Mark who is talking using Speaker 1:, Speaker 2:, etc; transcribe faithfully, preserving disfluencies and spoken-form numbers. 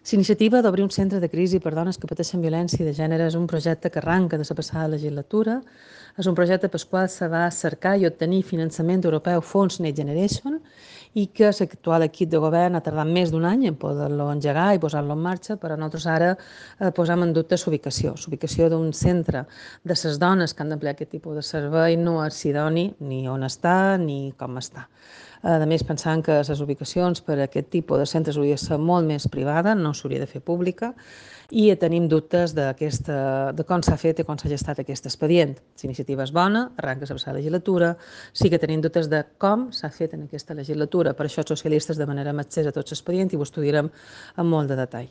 Speaker 1: L'iniciativa d'obrir un centre de crisi per dones que pateixen violència de gènere és un projecte que arranca de la passada legislatura. És un projecte pel qual se va cercar i obtenir finançament europeu Fons Next Generation i que l'actual equip de govern ha tardat més d'un any en poder-lo engegar i posar-lo en marxa, però nosaltres ara eh, posam en dubte l'ubicació. L'ubicació d'un centre de les dones que han d'emplear aquest tipus de servei no és idoni ni on està ni com està. A més, pensant que les ubicacions per a aquest tipus de centres haurien de ser molt més privada, no s'hauria de fer pública, i tenim dubtes de com s'ha fet i com s'ha gestat aquest expedient. La iniciativa és bona, arranca la passada legislatura, sí que tenim dubtes de com s'ha fet en aquesta legislatura. Per això els socialistes demanem accés a tots l'expedient i ho estudiarem amb molt de detall.